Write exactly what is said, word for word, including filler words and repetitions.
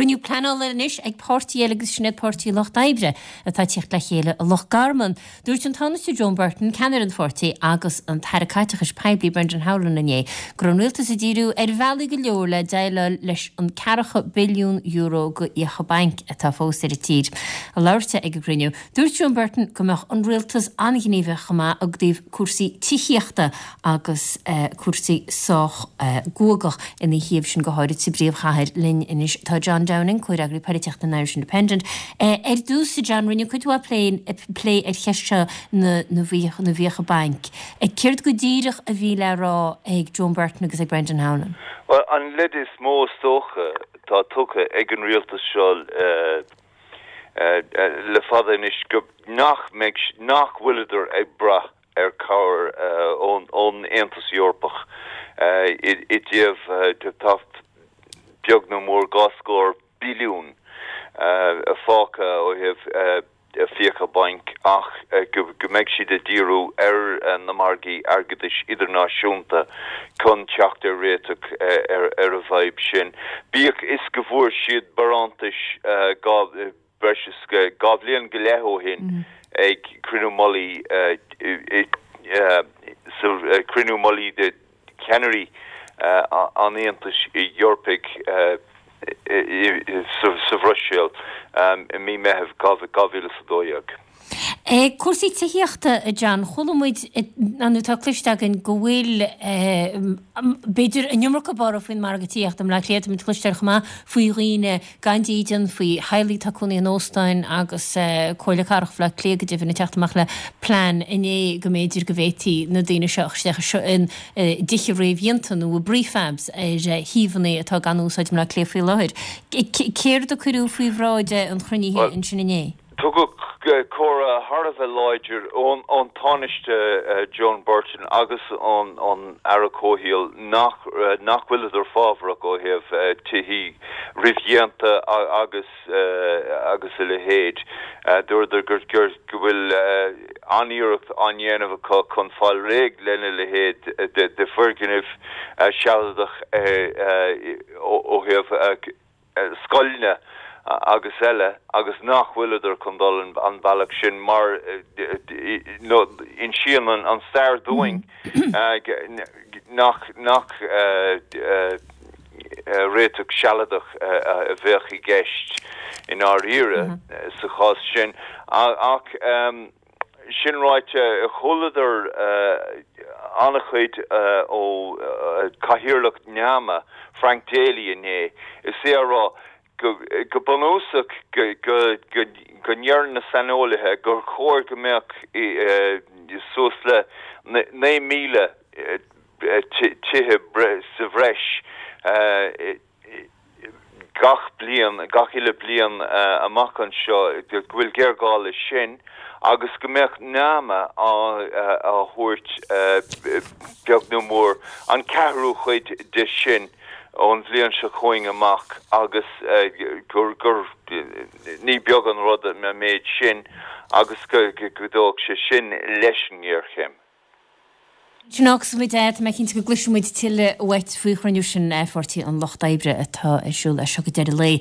Cruinniú pleanála anois ag páirtí eile agus sin iad Páirtí an Lucht Oibre atá ag tíocht le chéile i Loch Garman. Dúirt an Tánaiste Joan Burton, ceannaire an pháirtí, agus an tAire Caiteachais Poiblí Brendan Howlin inné go raibh an rialtas ag díriú ar bhealaí go leor le déileáil leis an ceathracha billiún euro de fhiacha bainc atá fós ar an tír. Ag labhairt ag an gcruinniú, dúirt Joan Burton go mbeadh an rialtas an-ghníomhach chomh maith i dtaobh cúrsaí tithíochta agus cúrsaí sách guagach ina thaobh sin go háirid sa bpríomhchathair linn anois. Tá John Downing, comhfhreagraí polaitíochta an Irish Independent. Ar dtús, John, rinneadh cuid mhaith plé plé ar cheist seo na na bhfiacha bainc. Céard go díreach a bhí le rá ag Joan Burton agus ag Brendan Howlin? Well, an leid is mó is dócha atá tugtha ag an rialtas seo le fada anois go nach mbeidh nach bhfuileadar ag brath ar chabhair ón ón Aontas Eorpach i dtaobh tá beag nó mór dhá scór billiún fágtha ó thaobh fiacha bainc ach go mbeidh siad ag díriú ar na margaí airgeadais idirnáisiúnta chun teacht ar réiteach ar ar an bhfadhb sin. Bíodh is go bhfuair siad barántais dhá breis is dhá bhliain go leith ó shin ag cruinniú mullaigh sa cruinniú mullaigh de cheannairí an Aontais Eorpaigh sa Bhruiséil i mí Meitheamh dhá mhíle is a dó dhéag. Cúrsaí tithíochta, a John, chuala muid nó tá cloiste againn go bhfuil b'fhéidir an iomarca borradh faoin margadh tithíochta i mBleá Cliath, tá muid ag cloisteáil chomh maith faoi dhaoine gan dídean, faoi theaghlaigh atá ag cónaí in óstáin agus Comhairle Cathrach Bhaile Átha Cliath go deimhin ag teacht amach le plean inné go mb'fhéidir go bhféadfaí na daoine seo a chur isteach in dtithe réamhdhéanta nó i bprefabs ar shuíomhanna atá gan úsáid i mBleá Cliath faoi láthair. Céard a cuireadh faoi bhráid an chruinnithe ansin inné? Tugadh comhartha thar a bheith láidir ón Tánaiste Joan Burton agus ón Aire Comhshaoil nach nach bhfuileadar fábharach ó thaobh tithí réamhdhéanta agus agus a leithéid. Dúradar gur go bhfuil an-iarracht á ndéanamh acu chun fáil réidh lena leithéid de foirgnimh sealadach ó thaobh scoileanna agus eile agus nach bhfuileadar chun dul an bealach sin mar insíonn an stair dúinn nach nach réiteach sealadach a bheadh i gceist i ndáiríre sa chás sin ach sin ráite chualadar an-chuid ó Chathaoirleach NAMA Frank Daly inné is é a rá go bunúsach go go ndeireann na saineolaithe gur chóir go mbeadh suas le naoi míle tithe sa bhreis gach bliain, gach uile bliain amach anseo, go bhfuil géarghá leis sin agus go mbeadh NAMA á thabhairt beag nó mór an ceathrú chuid de sin ón bhliain seo chugainn amach agus gur gur ní beag an rud an méid sin agus go gcuideodh sé sin leis an ngéarchéim. Sin agus muid tá mé cinnte go gcloisfidh muid tuilleadh uait faoi chruinniú sin Pháirtí an Lucht Oibre atá ar siúl as seo go deireadh lae.